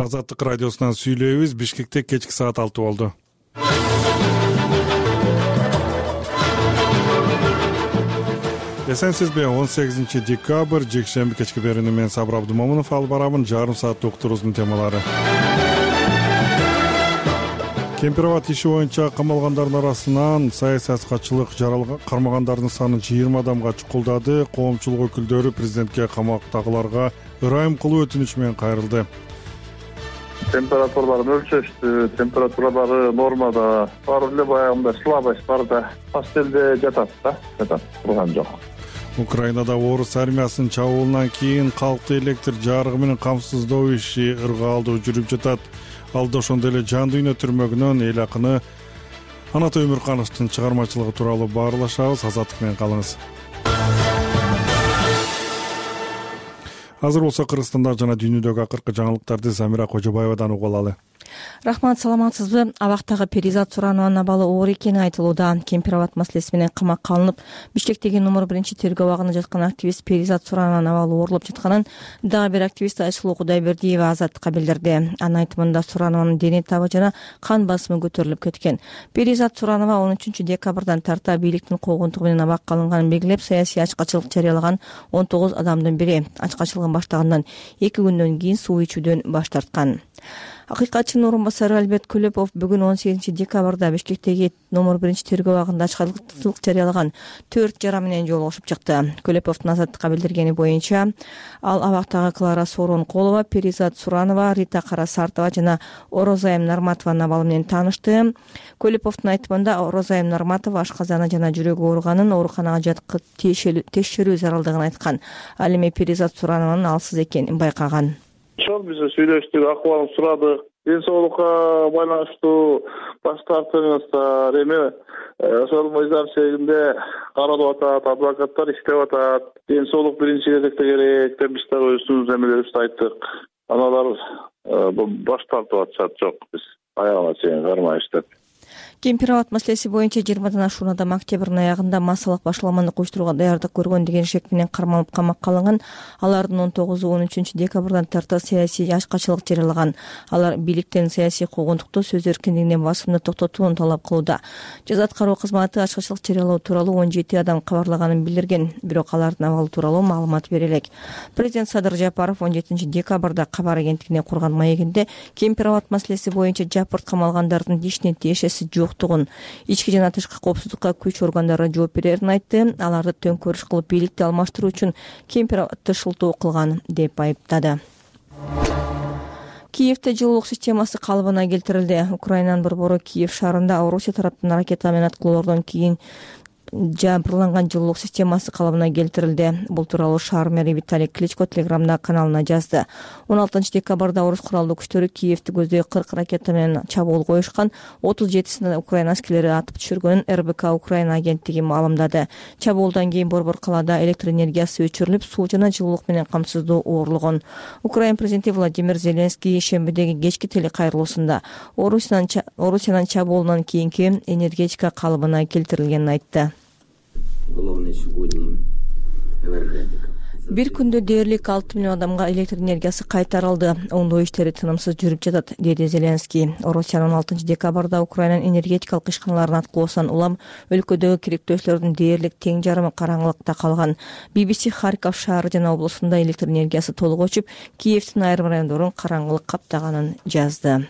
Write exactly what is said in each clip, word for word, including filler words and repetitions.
Азаттык радиосунан сүйлөйбүз. Бишкекте кечки саат алты болду. Эсенсизби? он сегизинчи декабрь жекшемби кечки берүүнү мен Сабыр Абдымомунов алып барамын. Жарым саат уктуруубуздун темалары. Кемпироват иши боюнча камалгандардын арасынан саясаткачылык жаралган кармагандардын саны жыйырма адамга чукулдады. Коомчулук өкүлдөрү президентке камактагыларга ырайым кылуу өтүнүч менен кайрылды. Температураларын өлчөштү, температуралары нормада, баары эле баягындай слабость бар да, пастелде жатат да, жатат, турган жок. Украинада орус армиясынын чабуулунан кийин калкты электр жарыгы менен камсыздоо иши ыргаалдуу жүрүп жатат. Алда ошондой эле жан дүйнө түрмөгүнөн эл акыны Анатой Өмүркановдун чыгармачылыгы тууралуу баарлашабыз. Азаттык менен калыңыз. Азыр болсо Кыргызстанда жана дүйнөдөгү акыркы жаңылыктарды Замира Кожобаевадан угуп алалы. Рахмат, саламатсызбы? Абактагы Перизат Суранованын абалы оор экени айтылууда. Кемпироват маселеси менен камакка алынып, Бишкектеги номер биринчи тергөө абагында жаткан активист Перизат Суранованын абалы оорулуп жатканын дагы бир активист Айсулуу Кудайбердиева Азаттыкка билдирди. Анын айтымында Суранованын дене табы жана кан басымы көтөрүлүп кеткен. Перизат Суранова он үчүнчү декабрдан тарта бийликтин куугунтугу менен абакка алынганын белгилеп, саясий ачкачылык жарыялаган он тогуз адамдын бири. Ачкачылыгын баштагандан эки күндөн кийин суу ичүүдөн баш тарткан. Акыйкатчынын орун басары Альберт Көлөпов бүгүн он сегизинчи декабрда Бишкектеги номер биринчи тергөө абагында ачкачылык жарыялаган төрт жара менен жолугушуп чыкты. Көлөповдун Азаттыкка билдиргени боюнча, ал абактагы Клара Сооронкулова, Перизат Суранова, Рита Карасартова жана Орозайым Нарматованын абалы менен таанышты. Көлөповдун айтымында Орозайым Нарматова ашказаны жана жүрөгү ооруганын, ооруканага жаткырып текшерүү зарылдыгын айткан. Ал эми Перизат Суранованын алсыз экенин байкаган. Ошол биз сүйлөштүк, акыбалын сурадык. Ден соолукка байланыштуу баш тартыңыздар. Эми ошол мыйзам чегинде каралып атат, адвокаттар иштеп атат. Ден соолук биринчи кезекте керек деп биз дагы өзүбүздүн эмелерибизди айттык. Аналар баш тартып атышат. Жок, биз аягына чейин кармайбыз деп. Кемпироват маселеси боюнча жыйырмадан ашуун адам октябрдын аягында массалык башаламандык уюштурууга даярдык көргөн деген шек менен кармалып камакка алынган. Алардын он тогузу он үчүнчү декабрдан тарта саясий ачкачылык жарыялаган. Алар бийликтен саясий куугунтукту, сөз эркиндигине басымды токтотууну талап кылууда. Жаза аткаруу кызматы ачкачылык жарыялоо тууралуу он жети адам кабарлаганын билдирген, бирок алардын абалы тууралуу маалымат бере элек. Президент Садыр Жапаров он жетинчи декабрда кабар агенттигине курган маегинде Кемпироват маселеси боюнча жапырт камалгандардын дишине тиешеси жок, ички жана тышкы коопсуздукка күч органдары жооп берерин айтты. Аларды төңкөрүш кылып бийликти алмаштыруу үчүн Кемпироватты шылтоо кылган деп айыптады. Киевде жылуулук системасы калыбына келтирилди. Украинанын борбору Киев шаарында Орусия тараптын ракета менен аткылоордон кийин жабырланган жылуулук системасы калыбына келтирилди. Бул тууралуу шаар мэри Виталий Кличко Телеграмда каналына жазды. он алтынчы декабрда орус куралдуу күчтөрү Киевди көздөй кырк ракета менен чабуул коюшкан. отуз жетисин Украина аскерлери атып түшүргөнүн эр бэ ка Украина агенттиги маалымдады. Чабуулдан кийин борбор калаада электр энергиясы өчүрүлүп, суу жана жылуулук менен камсыздоо оорлогон. Украина президенти Владимир Зеленский шембидеги кечки телекайрылуусунда Орусиянын чабуулунан кийинки энергетика калыбына келтирилгенин айтты. Бир күндө дээрлик алты миллион адамга электр энергиясы кайтарылды. Оңдоо иштери тынымсыз жүрүп жатат, деди Зеленский. Орусиянын он алтынчы декабрда Украинанын энергетикалык ишканаларын аткылоосунан улам өлкөдөгү керектөөчүлөрдүн дээрлик тең жарымы караңгылыкта калган. би би си Харьков шаары жана облусунда электр энергиясы толук өчүп, Киевдин айрым райондорун караңгылык каптаганын жазды.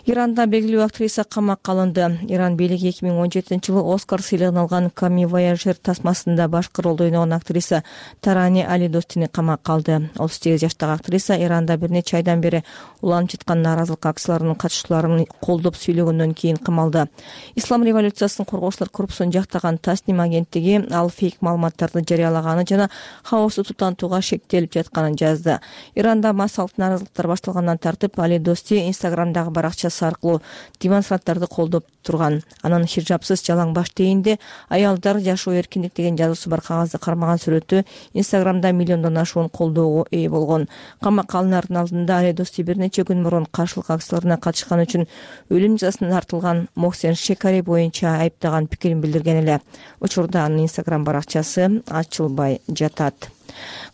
Иранда белгилүү актриса камакка алынды. Иран бийлиги эки миң он жетинчи жылы Оскар сыйлыгын алган Ками Вояжер тасмасында башкы ролду ойногон актриса Тарани Али Достини камакка алды. отуз сегиз жаштагы актриса Иранда бир нече айдан бери уланып жаткан нааразылык акцияларынын катышчыларын колдоп сүйлөгөндөн кийин камалды. Ислам революциясын коргоочулар корпусун жактаган Тасним агенттиги ал фейк маалыматтарды жарыялаганы жана хаосты тутантууга шектелип жатканын жазды. Иранда массалык нааразылыктар башталгандан тартып Али Дости Инстаграмдагы баракчасы аркылуу демонстранттарды колдоп турган. Анын хижапсыз жалаң баш тээинде аялдар жашоо эркиндик деген жазуусу бар кагазды кармаган сүрөтү Инстаграмда миллиондон ашуун колдоого ээ болгон. Камакка алынаардын алдында Али Дости бир нече күн мурун каршылык акцияларына катышкан үчүн өлүм жазасына тартылган Моксен Шекари боюнча айыптаган пикирин билдирген эле. Учурда анын Инстаграм баракчасы ачылбай жатат.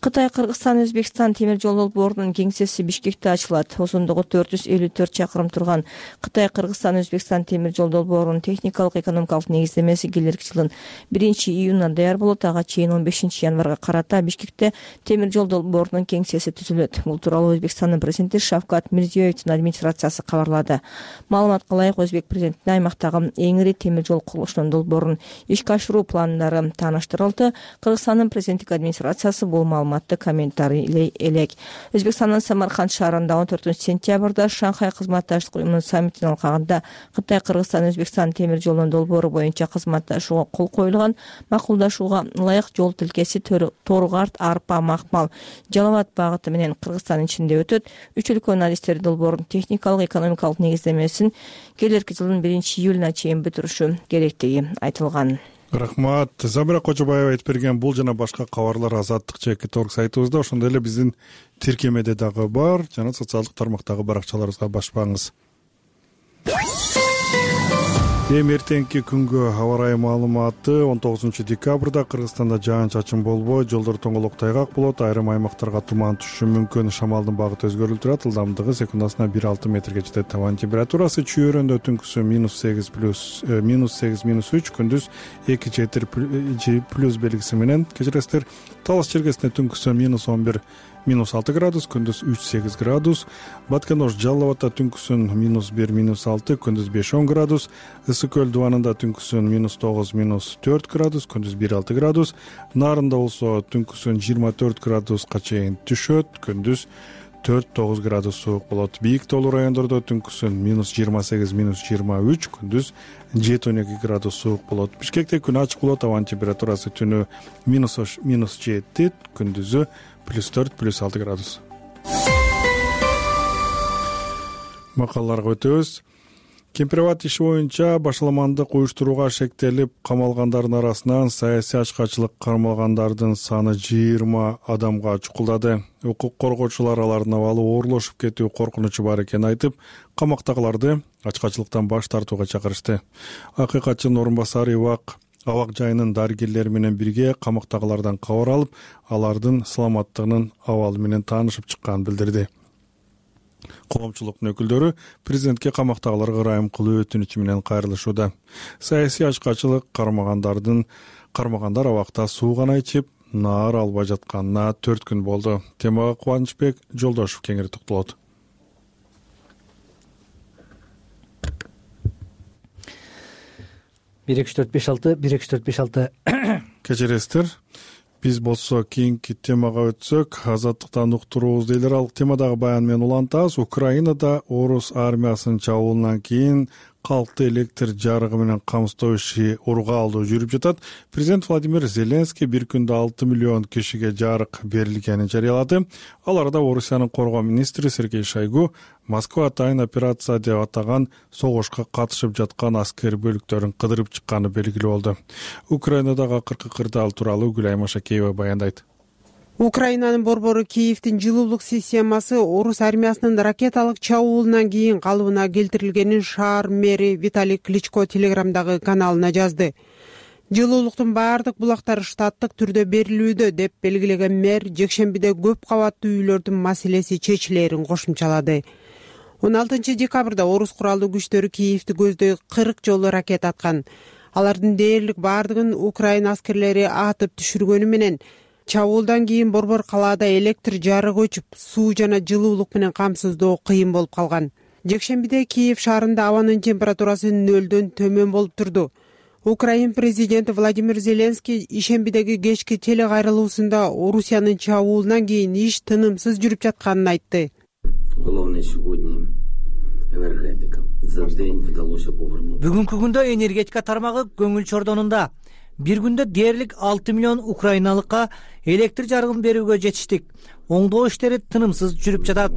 Кытай, Кыргызстан, Өзбекстан темир жол долбоорунун кеңсеси Бишкекте ачылат. Узундугу төрт жүз элүү төрт чакырым турган Кытай, Кыргызстан, Өзбекстан темир жол долбоорунун техникалык экономикалык негиздемеси келерки жылдын биринчи июнуна даяр болот. Ага чейин он бешинчи январга карата Бишкекте темир жол долбоорунун кеңсеси түзүлөт. Бул тууралуу Өзбекстандын президенти Шавкат Мирзиёевдин администрациясы кабарлады. Маалыматка ылайык, Өзбек президентине аймактагы эң ири темир жол курулушунун долбоорун ишке ашыруу пландары тааныштырылды. Кыргызстандын президенттик администрациясы бул маалыматты комментарийлей элек. Өзбекстандын Самарканд шаарында он төртүнчү сентябрда Шанхай кызматташтык уюмунун саммитинин алкагында Кытай, Кыргызстан, Өзбекстан темир жолунун долбоору боюнча кызматташууга кол коюлган. Макулдашууга ылайык жол тилкеси Торгарт, Арпа, Макмал, Жалал Абад багыты менен Кыргызстандын ичинде өтөт. Үч өлкөнүн адистери долбоордун техникалык экономикалык негиздемесин келерки жылдын биринчи июлуна чейин бүтүрүшү керектиги айтылган. Рахмат. Замира Кожобаева айтып берген бул жана башка кабарлар Азаттык чеки торг сайтыбызда, ошондой эле биздин тиркемеде дагы бар жана социалдык тармактагы баракчаларыбызга баспаңыз. Эми эртеңки күнгө аба ырайы маалыматы. он тогузунчу декабрда Кыргызстанда жаан-чачын болбой, жолдор тоңолок тайгак болот. Айрым аймактарга туман түшүшү мүмкүн. Шамалдын багыты өзгөрүлүп турат. Ылдамдыгы секундасына бир алты метрге жетет. Табан температурасы чүйөрөндө түнкүсү минус сегиз плюс минус сегиз минус үч, күндүз эки жети плюс белгиси менен. Кечиресиздер. Талас чергесинде түнкүсү минус он бир минус алты градус, күндүз үч сегиз градус. Баткенош Жалал Абадта түнкүсүн минус бир минус алты, күндүз беш он градус. Ысык көл дубанында түнкүсүн минус тогуз минус төрт градус, күндүз бир алты градус. Нарында болсо түнкүсүн жыйырма төрт градуска чейин түшөт, күндүз төрт тогуз градус суук болот. Бийик тоолуу райондордо түнкүсүн минус жыйырма сегиз минус жыйырма үч, күндүз жети он эки градус суук болот. Бишкекте күн ачык болот. Табан температурасы түнү минус минус жети, күндүзү плюс төрт плюс алты градус. Макалаларга өтөбүз. Кемпирабад иши боюнча башаламандык уюштурууга шектелип камалгандардын арасынан саясий ачкачылык кармалгандардын саны жыйырма адамга чукулдады. Укук коргоочулар алардын абалы оорлошуп кетүү коркунучу бар экенин айтып, камактагыларды ачкачылыктан баш тартууга чакырышты. Акыйкатчынын орун басары Ибак абак жайынын дарыгерлери менен бирге камактагылардан кабар алып, алардын саламаттыгынын абалы менен таанышып чыкканын билдирди. Коомчулуктун өкүлдөрү президентке камактагыларга ырайым кылуу өтүнүчү менен кайрылышууда. Саясий ачкачылык кармагандардын кармагандар абакта суу гана ичип, наар албай жатканына төрт күн болду. Темага Кубанычбек Жолдошев кеңири токтолот. бир эки үч төрт беш алты бир эки үч төрт беш алты. Кечиресиздер. Биз болсо кийинки темага өтсөк, Азаттыктан уктуруубуз дейлер. Ал темадагы баян менен улантабыз. Украинада орус армиясынын чабуулунан кийин калкты электр жарыгы менен камсыздоо иши ургаалдуу жүрүп жатат. Президент Владимир Зеленский бир күндө алты миллион кишиге жарык берилгенин жарыялады. Ал арада Орусиянын коргоо министри Сергей Шойгу Москва атайын операция деп атаган согушка катышып жаткан аскер бөлүктөрүн кыдырып чыкканы белгилүү болду. Украинадагы акыркы кырдаал тууралуу Гүлай Машакеева баяндайт. Украинанын борбору Киевдин жылуулук системасы орус армиясынын ракеталык чабуулунан кийин калыбына келтирилгенин шаар мэри Виталий Кличко телеграмдагы каналына жазды. Жылуулуктун баардык булактары штаттык түрдө берилүүдө деп белгилеген мэр жекшембиде көп кабаттуу үйлөрдүн маселеси чечилерин кошумчалады. он алтынчы декабрда орус куралдуу күчтөрү Киевди көздөй кырк жолу ракета аткан. Алардын дээрлик баардыгын Украина аскерлери атып түшүргөнү менен чабуулдан кийин борбор калаада электр жарыгы өчүп, суу жана жылуулук менен камсыздоо кыйын болуп калган. Жекшембиде Киев шаарында абанын температурасы нөлдөн төмөн болуп турду. Украин президенти Владимир Зеленский ишембидеги кечки телекайрылуусунда Орусиянын чабуулунан кийин иш тынымсыз жүрүп жатканын айтты. Бүгүнкү күндө энергетика тармагы көңүл чордонунда. Бир күндө дээрлик алты миллион украиналыкка электр жарыгын берүүгө жетиштик. Оңдоо иштери тынымсыз жүрүп жатат,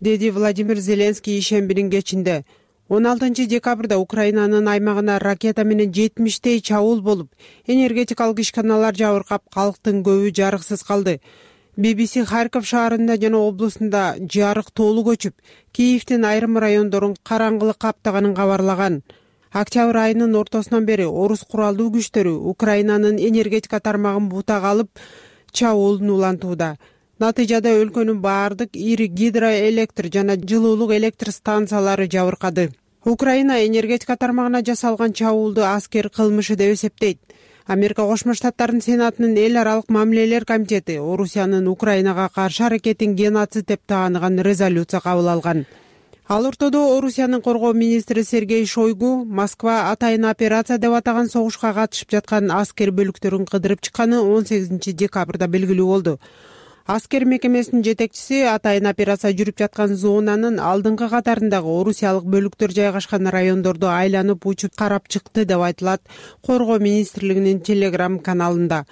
деди Владимир Зеленский ишембинин кечинде. он алтынчы декабрда Украинанын аймагына ракета менен жетимиштей чабуул болуп, энергетикалык ишканалар жабыркап, калктын көбү жарыксыз калды. би би си Харьков шаарында жана облусунда жарык толук өчүп, Киевдин айрым райондорун караңгылык каптаганын кабарлаган. Октябрь айынын ортосунан бери орус куралдуу күчтөрү Украинанын энергетика тармагын бутага алып чабуулун улантууда. Натыйжада өлкөнүн баардык ири гидроэлектр жана жылуулук электр станциялары жабыркады. Украина энергетика тармагына жасалган чабуулду аскер кылмышы деп эсептейт. Америка Кошмо Штаттарынын Сенатынын эл аралык мамилелер комитети Орусиянын Украинага каршы аракетин геноцид деп тааныган резолюция кабыл алган. Ал ортодо Орусиянын коргоо министри Сергей Шойгу Москва атайын операция деп атаган согушка катышып жаткан аскер бөлүктөрүн кыдырып чыкканы он сегизинчи декабрда белгилүү болду. Аскер мекемесинин жетекчиси атайын операция жүрүп жаткан зонанын алдыңкы катарындагы орусиялык бөлүктөр жайгашкан райондорду айланып учуп карап чыкты деп айтылат коргоо министрлигинин телеграм каналында.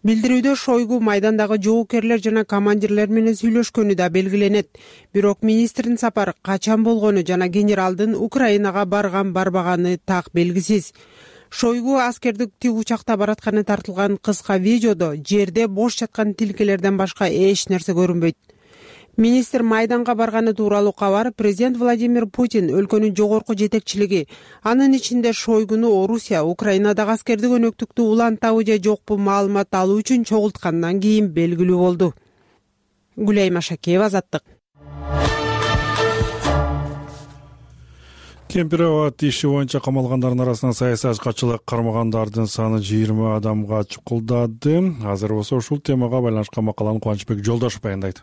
Билдирүүдө Шойгу майдандагы жоокерлер жана командирлер менен сүйлөшкөнү да белгиленет. Бирок министрдин сапары качан болгону жана генералдын Украинага барган барбаганы так белгисиз. Шойгу аскердик тик учакта баратканы тартылган кыска видеодо жерде бош жаткан тилкелерден башка эч нерсе көрүнбөйт. Министр майданга барганы тууралуу кабар президент Владимир Путин өлкөнүн жогорку жетекчилиги, анын ичинде Шойгуну Орусия Украинадагы аскердик өнөктүктү улантабы же жокпу маалымат алуу үчүн чогулткандан кийин белгилүү болду. Гүлай Машакеева, Азаттык. Кемпирабад иши боюнча камалгандардын арасынан саясий ачкачылык кармагандардын саны жыйырма адамга чукулдады. Азыр болсо ушул темага байланышкан макаланы Кубанычбек Жолдошов баяндайт.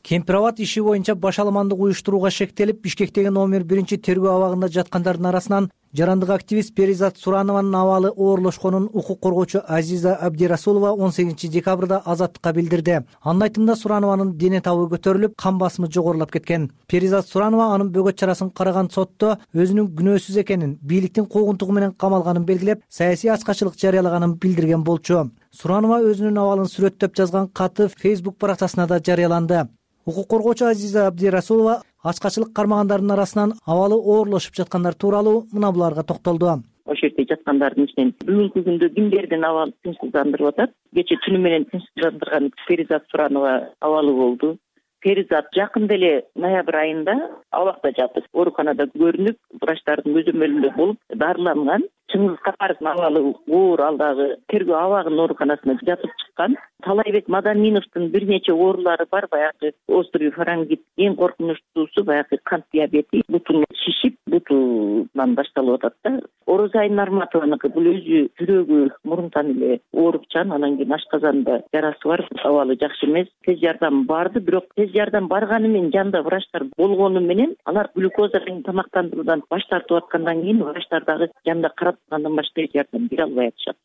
Кемпирабад иши боюнча башаламандык уюштурууга шектелип, Бишкектеги номер биринчи тергөө абагында жаткандардын арасынан жарандык активист Перизат Суранованын абалы оорлошконун укук коргоочу Азиза Абдирасулова он сегизинчи декабрда Азаттыкка билдирди. Анын айтымында Суранованын дене табы көтөрүлүп, кан басымы жогорулап кеткен. Перизат Суранова анын бөгөт чарасын караган сотто өзүнүн күнөөсүз экенин, бийликтин куугунтугу менен камалганын белгилеп, саясий ачкачылык жарыялаганын билдирген болчу. Суранова өзүнүн абалын сүрөттөп жазган каты Facebook баракчасына да жарыяланды. Укук коргоочу Азиза Абдирасулова ачкачылык кармагандардын арасынан абалы оорлошуп жаткандар тууралуу мына буларга токтолду. Ошол жерде жаткандардын ичинен бүгүнкү күндө кимдердин абалы тынчсыздандырып атат? Кечээ түнү менен тынчсыздандырган Перизат Суранова абалы болду. Перизат жакында эле ноябрь айында абакта жатып, ооруканада көрүнүп, врачтардын көзөмөлүндө болуп, дарыланган. Чыңгыз Капаровдун абалы оор, ал дагы тергөө абагынын ооруканасына жатып чыккан. Талайбек Мадаминовдун бир нече оорулары бар, баягы острый фарингит, эң коркунучтуусу баягы кант диабети, бутун шишип, бутунан башталып атат да. Орозай Нарматованыкы бул өзү жүрөгү мурунтан эле оорупчан, анан кийин ашказанда жарасы бар, абалы жакшы эмес. Тез жардам барды, бирок тез жардам барганы менен жанында врачтар болгону менен алар глюкоза менен тамактандыруудан баш тартып аткандан кийин врачтар дагы жанында карап андан башка жардам бере албай атышат.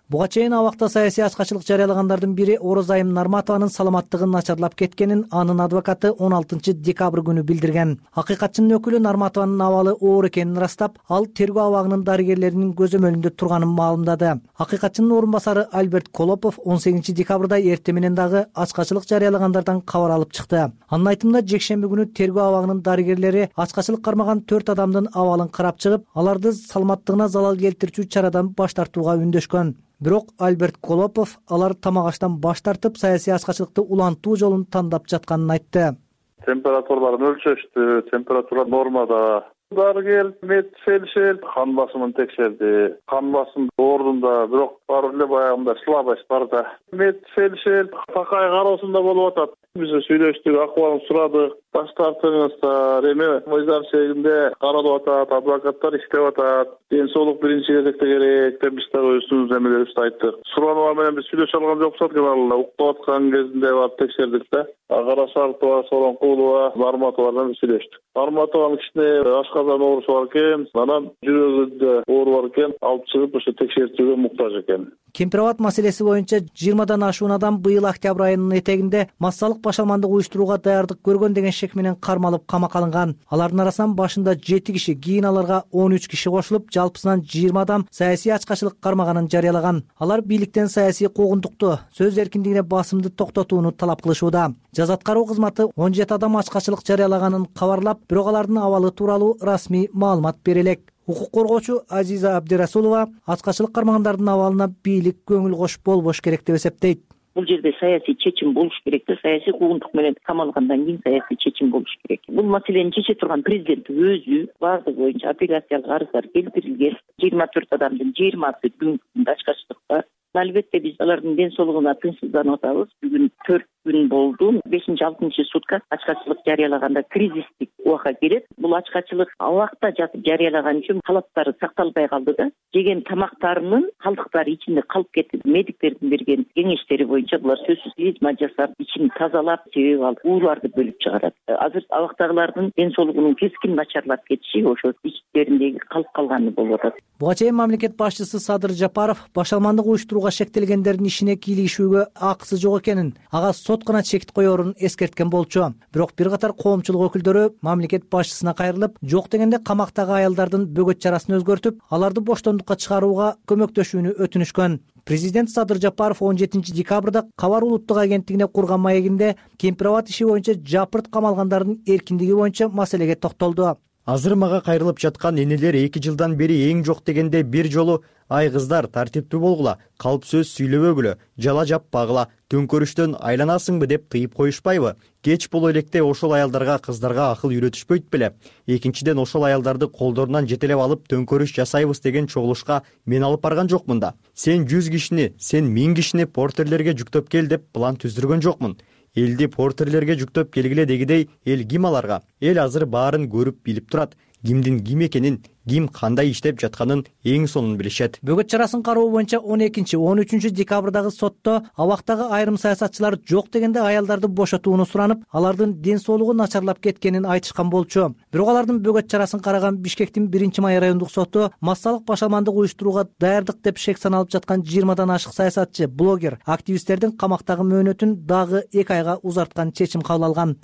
Буга чейин абакта саясий ачкачылык жарыялагандардын бири Орозайым Нарматованын саламаттыгын начарлап кеткенин анын адвокаты он алтынчы декабрь күнү билдирген. Акыйкатчынын өкүлү Нарматованын абалы оор экенин ырастап, ал тергөө абагынын дарыгерлеринин көзөмөлүндө турганын маалымдады. Акыйкатчынын орун басары Альберт Колопов он сегизинчи декабрда эртең менен дагы ачкачылык жарыялагандардан кабар алып чыкты. Анын айтымында жекшемби күнү тергөө абагынын дарыгерлери ачкачылык кармаган төрт адамдын абалын карап чыгып, аларды саламаттыгына залал келтирүүчү чарадан баш тартууга үндөшкөн. Бирок Альберт Колопов алар тамак аштан баш тартып, саясий ачкачылыкты улантуу жолун тандап жатканын айтты. Температураларын өлчөштү, температура нормада. Дарыгер медфельдшер кан басымын текшерди. Кан басым ордунда, бирок бар эле баягындай слабость бар да. Медфельдшер такай кароосунда болуп атат. Биз сүйлөштүк, акыбалын сурадык. Баш тартыңыздар, эме мыйзам чегинде каралып атат, адвокаттар иштеп атат. Ден соолук биринчи кезекте керек деп биз дагы өзүбүздүн эмелерибизди айттык. Суранова менен биз сүйлөшө алган жокпуз экен, ал уктап аткан кезинде барып текшердик да. Карашартова, Сооронкулова, Нарматова менен сүйлөштүк. Нарматованын кичине ашказан оорусу бар экен, анан жүрөгүндө оору бар экен, алып чыгып ошо текшертүүгө муктаж экен. Кемпирабад маселеси боюнча жыйырмадан ашуун адам быйыл октябрь айынын этегинде массалык башаламандык уюштурууга даярдык көргөн деген шек менен кармалып камакка алынган. Алардын арасынан башында жети киши, кийин аларга он үч киши кошулуп, жалпысынан жыйырма адам саясий ачкачылык кармаганын жарыялаган. Алар бийликтен саясий куугунтукту, сөз эркиндигине басымды токтотууну талап кылышууда. Жаза аткаруу кызматы он жети адам ачкачылык жарыялаганын кабарлап, бирок алардын абалы тууралуу расмий маалымат бере элек. Укук коргоочу Азиза Абдирасулова ачкачылык кармагандардын абалына бийлик көңүл кошуп болбош керек деп эсептейт. бул жерде саясий чечим болуш керек да, саясий куугунтук менен камалгандан кийин саясий чечим болуш керек. Бул маселени чече турган президент өзү баардыгы боюнча апелляциялык арыздар келтирилген. жыйырма төрт адамдын жыйырмасы бүгүнкү күндө ачкачтыкта. Албетте биз алардын ден соолугуна тынчсызданып атабыз. Бүгүн төрт күн болду. бешинчи алтынчы сутка ачкачылык жарыялаганда кризистик убакка кирет. Бул ачкачылык абакта жатып жарыялаган үчүн талаптары сакталбай калды да. Жеген тамактарынын калдыктары ичинде калып кетти. Медиктердин берген кеңештери боюнча булар сөзсүз клизма жасап, ичин тазалап, себеп алып ууларды бөлүп чыгарат. Азыр абактагылардын ден соолугунун кескин начарлап кетиши ошо ичтериндеги калып калганы болуп атат. Буга чейин мамлекет башчысы Садыр Жапаров башалмандык уюштурууга шектелгендердин ишине кийлигишүүгө акысы жок экенин, ага сот гана чекит коерун эскерткен болчу. Бирок бир катар коомчулук өкүлдөрү мамлекет башчысына кайрылып, жок дегенде камактагы аялдардын бөгөт чарасын өзгөртүп, аларды боштондукка чыгарууга көмөктөшүүнү өтүнүшкөн. Президент Садыр Жапаров он жетинчи декабрда Кабар улуттук агенттигине курган маегинде Кемпирабад иши боюнча жапырт камалгандардын эркиндиги боюнча маселеге токтолду. Азыр мага кайрылып жаткан энелер эки жылдан бери эң жок дегенде бир жолу ай кыздар тартиптүү болгула, калп сөз сүйлөбөгүлө, жала жаппагыла, төңкөрүштөн айланасыңбы деп тыйып коюшпайбы? Кеч боло электе ошол аялдарга, кыздарга акыл үйрөтүшпөйт беле? Экинчиден, ошол аялдарды колдорунан жетелеп алып төңкөрүш жасайбыз деген чогулушка мен алып барган жокмун да. Сен жүз кишини, сен миң кишини портерлерге жүктөп кел деп план түздүргөн жокмун. Элди портерлерге жүктөп келгиле дегидей, эл ким аларга? Эл азыр баарын көрүп билип турат. Кимдин ким экенин, ким кандай иштеп жатканын эң сонун билишет. Бөгөт чарасын кароо боюнча он экинчи он үчүнчү декабрдагы сотто абактагы айрым саясатчылар жок дегенде аялдарды бошотууну суранып, алардын ден соолугу начарлап кеткенин айтышкан болчу. Бирок алардын бөгөт чарасын караган Бишкектин биринчи май райондук соту массалык башалмандык уюштурууга даярдык деп шек саналып жаткан жыйырмадан ашык саясатчы, блогер, активисттердин камактагы мөөнөтүн дагы эки айга узарткан чечим кабыл алган.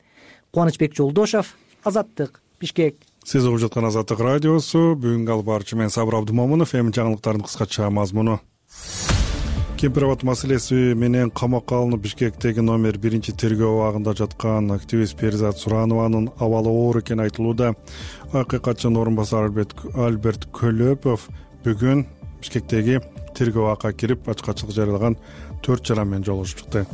Кубанычбек Жолдошов, Азаттык, Бишкек. Сиз угуп жаткан Азаттык радиосу. Бүгүнкү алып барчу мен Сабыр Абдумомунов. Эми жаңылыктардын кыскача мазмуну. Кемпирабад маселеси менен камакка алынып Бишкектеги номер биринчи тергөө абагында жаткан активист Перизат Суранованын абалы оор экени айтылууда. Акыйкатчынын орун басары Альберт Көлөпов бүгүн Бишкектеги тергөө абакка кирип, ачкачылык жарыялаган төрт жаран менен жолугушуп чыкты.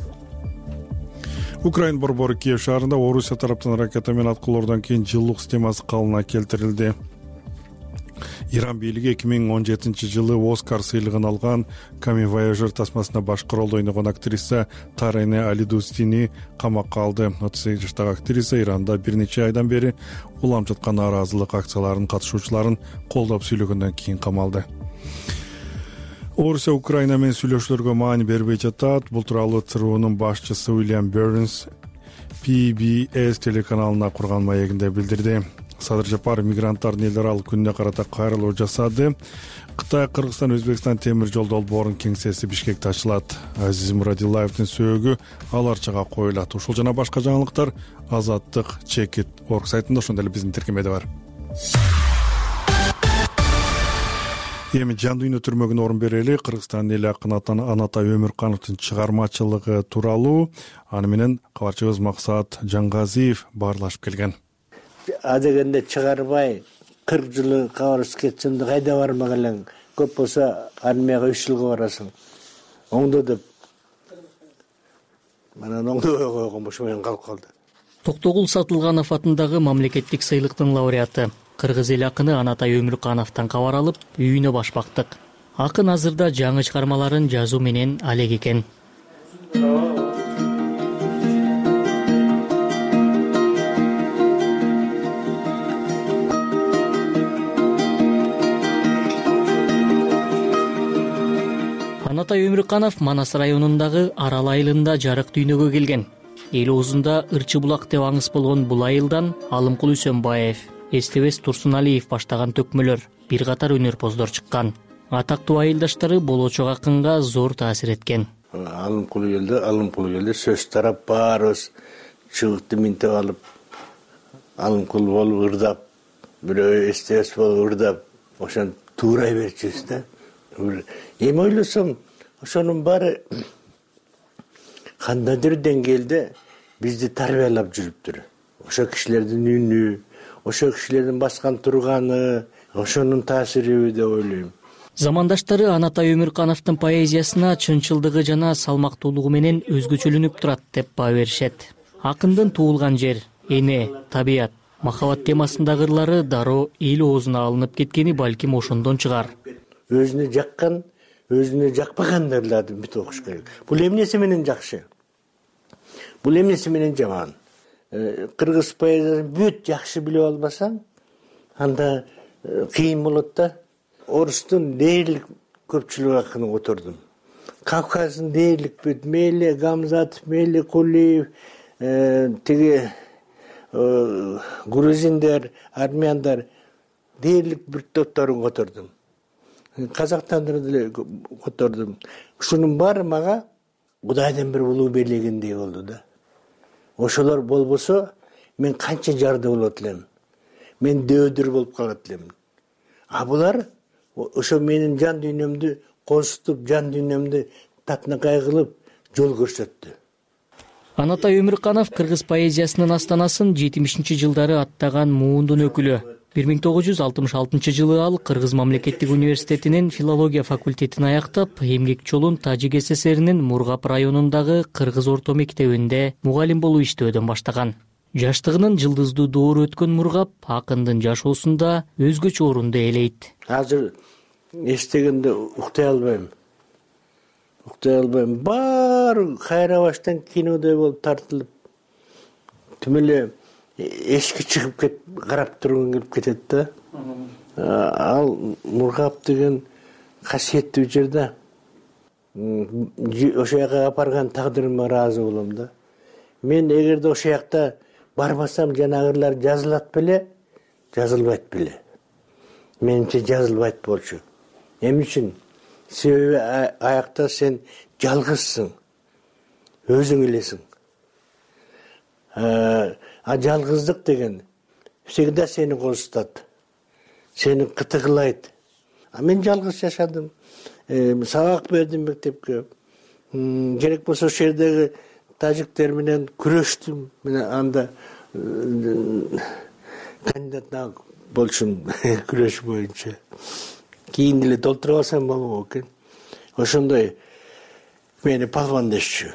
Украина борбору Киев шаарында Орусия тараптан ракета менен аткылоордон кийин жылуулук системасы калыбына келтирилди. Иран бийлиги эки миң он жетинчи жылы Оскар сыйлыгын алган Камин Вояжер тасмасында башкы ролдо ойногон актриса Тарене Алидустини камакка алды. отуз сегиз жаштагы актриса Иранда бир нече айдан бери уланып жаткан нааразылык акцияларынын катышуучуларын колдоп сүйлөгөндөн кийин камалды. Орусия Украина менен сүйлөшүүлөргө маани бербей жатат. Бул тууралуу ЦРУнун башчысы Уильям Бернс Пи Би Эс телеканалына курган маегинде билдирди. Садыр Жапаров мигранттардын эл аралык күнүнө карата кайрылуу жасады. Кытай, Кыргызстан, Өзбекстан темир жол долбоорунун кеңсеси Бишкекте ачылат. Азиз Мурадилаевдин сөөгү аларчага коюлат. Ушул жана башка жаңылыктар Азаттык чекит орг сайтында, ошондой эле биздин тиркемеде бар. Эми жан дүйнө түрмөгүнө орун берели. Кыргызстандын эл акыны Анатай Өмүркановдун чыгармачылыгы тууралуу аны менен кабарчыбыз Максат Жангазиев баарлашып келген. Адегенде чыгарбай кырк жылы кабарсыз кетсем да кайда бармак элең. Көп болсо армияга үч жылга барасың. Оңдо деп. Манан оңдобой койгон бош менен калып калды. Токтогул Сатылганов атындагы мамлекеттик сыйлыктын лауреаты кыргыз эл акыны Анатай Өмүркановдон кабар алып, үйүнө башпактык. Акын азырда жаңы чыгармаларын жазуу менен алек экен. Анатай Өмүрканов Манас районундагы Арал айылында жарык дүйнөгө келген. Эл оозунда Ырчы булак деп аңыз болгон бул айылдан Алымкул Үсөнбаев, Эстебес Турсуналиев баштаган төкмөлөр, бир катар өнөрпоздор чыккан. Атактуу айылдаштары болочок акынга зор таасир эткен. Алымкул келди, Алымкул келди, сөз тарап баарыбыз чыгыкты минтеп алып, Алымкул болуп ырдап, бирөө Эстебес болуп ырдап, ошон туурай берчүбүз да. Эми ойлосом, ошонун баары кандайдыр деңгээлде бизди тарбиялап жүрүптүр. Ошо кишилердин үнү, ошо кишилердин баскан турганы, ошонун таасириби деп ойлойм. Замандаштары Анатай Өмүркановдун поэзиясына чынчылдыгы жана салмактуулугу менен өзгөчөлөнүп турат деп баа беришет. Акындын туулган жер, эне, табият, махабат темасындагы ырлары дароо эл оозуна алынып кеткени балким ошондон чыгар. Өзүнө жаккан, өзүнө жакпаган ырларды бүт окуш керек. Бул эмнеси менен жакшы? Бул эмнеси менен жаман? Кыргыз поэзиясын бүт жакшы билип албасаң, анда кыйын болот да. Орустун дээрлик көпчүлүк акынын отурдум. Кавказдын дээрлик бүт мейли Гамзатов, мейли Кулиев, тиги грузиндер, армяндар дээрлик бир топторун котордум. Казактандарды деле котордум. Ушунун баары мага Кудайдан бир улуу берилгендей болду да. Ошолор болбосо мен канча жарды болот элем. Мен дөөдөр болуп калат элем. А булар ошо менин жан дүйнөмдү козутуп, жан дүйнөмдү татынакай кылып жол көрсөттү. Анатай Өмүрканов кыргыз поэзиясынын астанасын жетимишинчи жылдары аттаган муундун өкүлү. бир миң тогуз жүз алтымыш алтынчы жылы ал Кыргыз мамлекеттик университетинин филология факультетин аяктап, эмгек жолун Тажик ССРинин Мургап районундагы Кыргыз орто мектебинде мугалим болуп иштөөдөн баштаган. Жаштыгынын жылдыздуу доору өткөн Мургап акындын жашоосунда өзгөчө орунду ээлейт. Азыр эстегенде уктай албайм. Уктай албайм. Баары кайра баштан кинодой болуп тартылып, түм эле эшикке чыгып кет, карап тургун келип кетет да. Ал Мургап деген касиеттүү жер да. Ошол жака апарган тагдырыма ыраазы болом да. Мен эгерде ошол жакта барбасам жанагылар жазылат беле, жазылбайт беле. Менимче жазылбайт болчу. Эмне үчүн? Себеби аякта сен жалгызсың, өзүң элесиң. А жалгыздык деген всегда сени козутат, сени кытыгылайт. А мен жалгыз жашадым, сабак бердим мектепке. Керек болсо ошол жердеги тажиктер менен күрөштүм. Мен анда кандидат болчумун күрөш боюнча. Кийин деле толтуруп алсам болмок экен. Ошондой мени палван дешчү.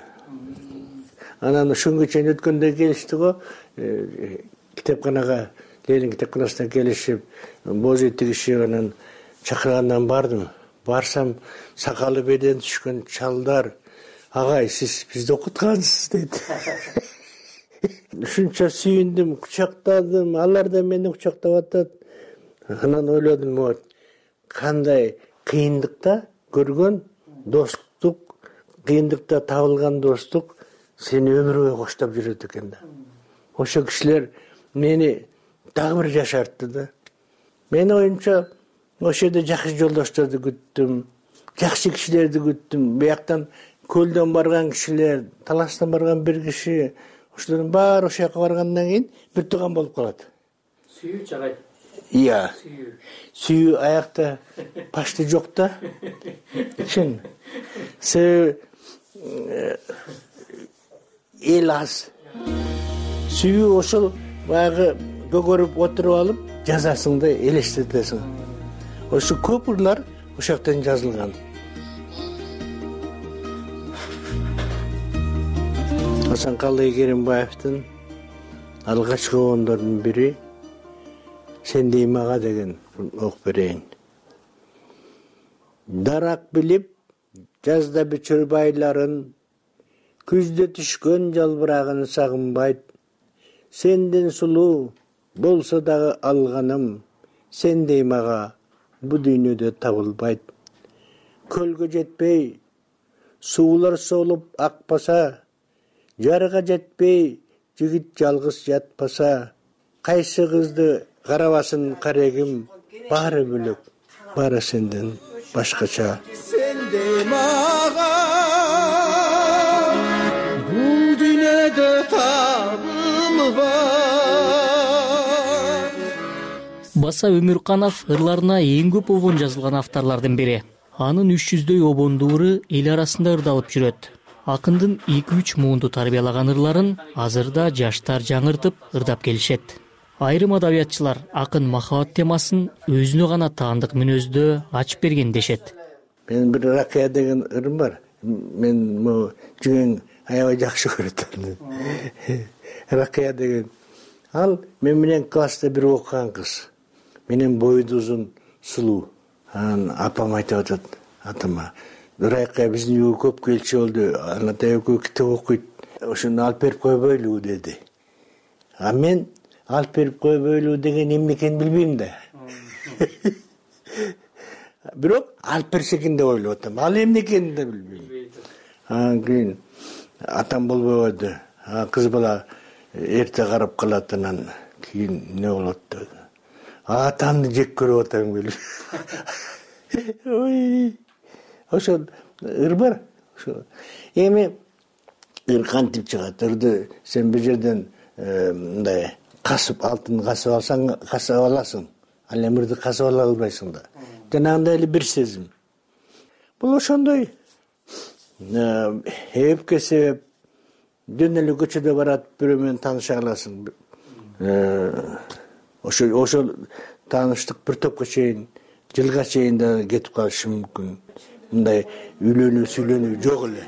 Анан ошонгө чейин өткөндө келишти го, китепканага, Ленин китепканасына келишип, боз үй тигишип, анан чакыргандан бардым. Барсам, сакалы беден түшкөн чалдар, агай, сиз бизди окуткансыз дейт. Ушунча сүйүндүм, кучактадым, алар да мени кучактап атат. Анан ойлодум, вот, кандай кыйындыкта көргөн достук, кыйындыкта табылган достук сени өмүр бою коштоп жүрөт экен да. Ошо кишилер мени дагы бир жашартты да. Менин оюмча, ошол жерде жакшы жолдошторду күттүм, жакшы кишилерди күттүм. Бияктан көлдөн барган кишилер, таластан барган бир киши, ошолордун баары ошол жака баргандан кийин бир тууган болуп калат. Сүйүү чагай. Iya. Сүйүү аякта почти жок да. Чын. Себеби эл аз. Сүйүү ошол баягы көгөрүп отуруп алып, жазасыңды элестетесиң. Ошо көп ырлар ошол жактан жазылган. Асанкалы Керимбаевдин алгачкы ондордун бири Сендей мага деген окуп берейин. Дарак билип, жазда бүчүр байларын, күздө түшкөн жалбырагын сагынбайт. Сенден сулуу болсо дагы алганым, сендей мага бу дүйнөдө табылбайт. Көлгө жетпей, суулар солуп акпаса, жарга жетпей, жигит жалгыз жатпаса, кайсы кызды карабасын карегим, баары бөлөк, баары сенден башкача. Сендей мага бул дүйнөдө табылбайт. Баса Өмүрканов ырларына эң көп обон жазылган авторлордун бири. Анын үч жүздөй обондуу ыры эл арасында ырдалып жүрөт. Акындын эки үч муунду тарбиялаган ырларын азырда жаштар жаңыртып ырдап келишет. Айрым адабиятчылар акын махабат темасын өзүнө гана таандык мүнөздө ачып берген дешет. Мен бир Ракия деген ырым бар. Мен могу жигең аябай жакшы көрөт. Ракия деген. Ал мен менен класста бир окуган кыз. Менен бойду узун, сулуу. Анан апам айтып атат атама. Ракия биздин үйгө көп келчү болду. Анатай экөө китеп окуйт. Ошону алып берип койбойлу деди. А мен алып берип койбойлу деген эмне экенин билбейм да. Бирок алып берсе экен деп ойлоп атам. Ал эмне экенин да билбейм. Анан кийин атам болбой койду. Кыз бала эрте карап калат, анан кийин эмне болот деп. Атамды жек көрүп атам келип. Ой. Ошол ыр бар. Ошо. Эми ыр кантип чыгат? Ырды сен бир жерден мындай касып, алтын касып алсаң, касып аласың. Ал эми ырды касып ала албайсың да. Жанагындай эле бир сезим. Бул ошондой эпке себеп. Жөн эле көчөдө барат, бирөө менен тааныша каласың. Ошо ошол тааныштык бир топко чейин, жылга чейин да кетип калышы мүмкүн. Мындай үйлөнүү, сүйлөнүү жок эле.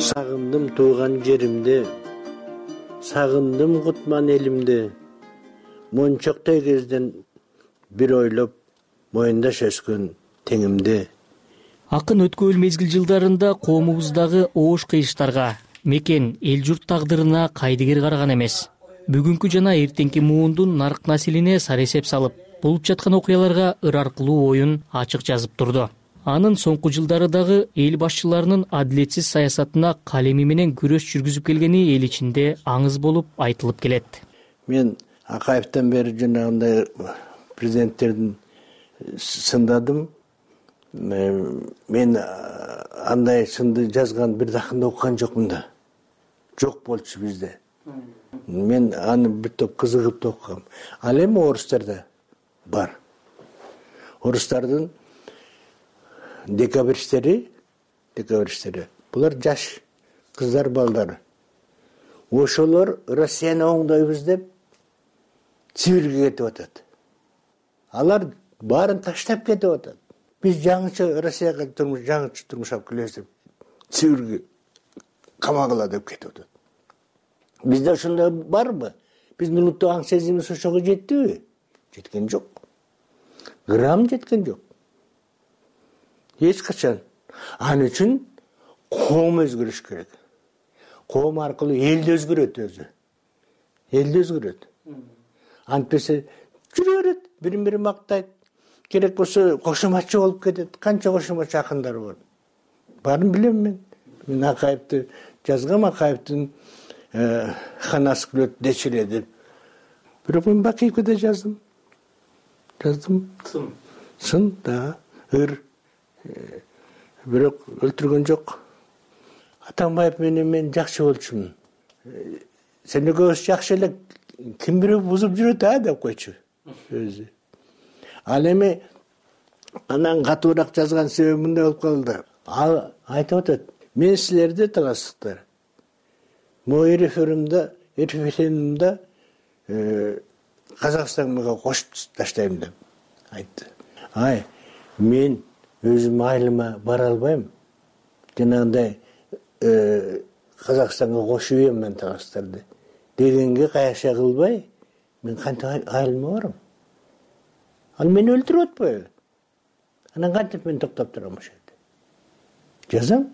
Сагындым тууган жеримди, сагындым кутман элимди. Мончоктой кезден бир ойлоп, моюндаш өскөн теңимди. Акын өткөн мезгил жылдарында коомубуздагы оош кыйыштарга, мекен, эл журт тагдырына кайдыгер караган эмес. Бүгүнкү жана эртеңки муундун нарк населине сары эсеп салып, болуп жаткан окуяларга ыр аркылуу оюн ачык жазып турду. Анын соңку жылдары дагы эл башчыларынын адилетсиз саясатына калеми менен күрөш жүргүзүп келгени эл ичинде аңыз болуп айтылып келет. Мен Акаевден бери жанагындай президенттердин сындадым. Мен андай сынды жазган бир дакында окуган жокмун да. Жок болчу бизде. Мен аны бир топ кызыгып да окугам. Ал эми орустарда бар. Орустардын декабристтери, декабристтери. Булар жаш кыздар, балдары. Ошолор Россияны оңдойбуз деп Сибирге кетип атат. Алар баарын таштап кетип атат. Биз жаңыча Россияга турмуш, жаңыча турмуш алып келебиз деп Сибирге камагыла деп кетип атат. Бизде ошондой барбы? Биздин улуттук аң сезимибиз ошого жеттиби? Жеткен жок. Грамм жеткен жок. Эч качан. Ал үчүн коом өзгөрүш керек. Коом аркылуу элди өзгөрөт өзү. Элди өзгөрөт. Антпесе жүрө берет, бирин-бири мактайт. Керек болсо кошоматчы болуп кетет. Канча кошоматчы акындар бар. Барын билем мен. Мен Акаевди жазгам, Акаевдин ханасы күлөт дечиле деп. Бирок мен Бакиевге да жаздым. Жаздым. Сын. Сын да, ыр. Бирок өлтүргөн жок. Атамбаев менен мен жакшы болчумун. Сен экөөбүз жакшы эле, ким бирөө бузуп жүрөт а деп койчу өзү. Ал эми анан катуураак жазган себеби мындай болуп калды. Ал айтып атат: "Мен силерди таластыктар. Могу референдумда, референдумда Казакстанга кошуп таштайм" деп айтты. Ай, мен өзүм айылыма бара албайм. Жанагындай Казакстанга кошуп ийем мен таластарды дегенге каяша кылбай, мен кантип айылыма барам? Ал мени өлтүрүп атпайбы? Анан кантип мен токтоп турам ошол жерде? Жазам.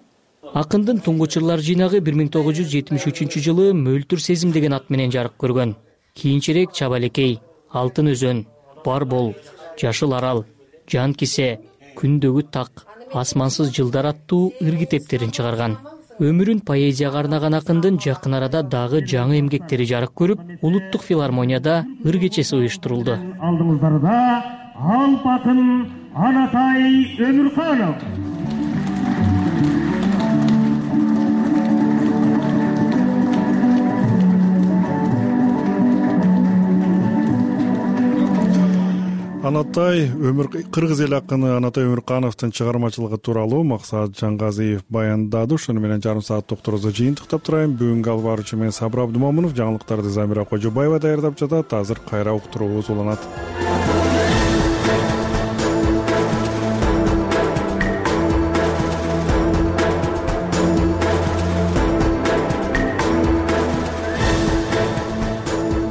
Акындын туңгуч ырлар жыйнагы бир миң тогуз жүз жетимиш үчүнчү жылы Мөлтүр сезим деген ат менен жарык көргөн. Кийинчерээк Чабалекей, Алтын өзөн, Бар бол, Жашыл арал, Жан кисе, Күндөгү так, Асмансыз жылдар аттуу ыр китептерин чыгарган. Өмүрүн поэзияга арнаган акындын жакын арада дагы жаңы эмгектери жарык көрүп, Улуттук филармонияда ыр кечеси уюштурулду. Алдыңыздарда Алп акын Анатай Өмүрканов. анатай өмүр кыргыз эл акыны Анатай Өмүркановдун чыгармачылыгы тууралуу Максат Жангазиев баяндады. Ошону менен жарым саат докторубузду жыйынтыктап турайын. Бүгүнкү алып баруучу мен Сабыр Абдымомунов, жаңылыктарды Замира Кожобаева даярдап жатат. Азыр кайра уктуруубуз уланат.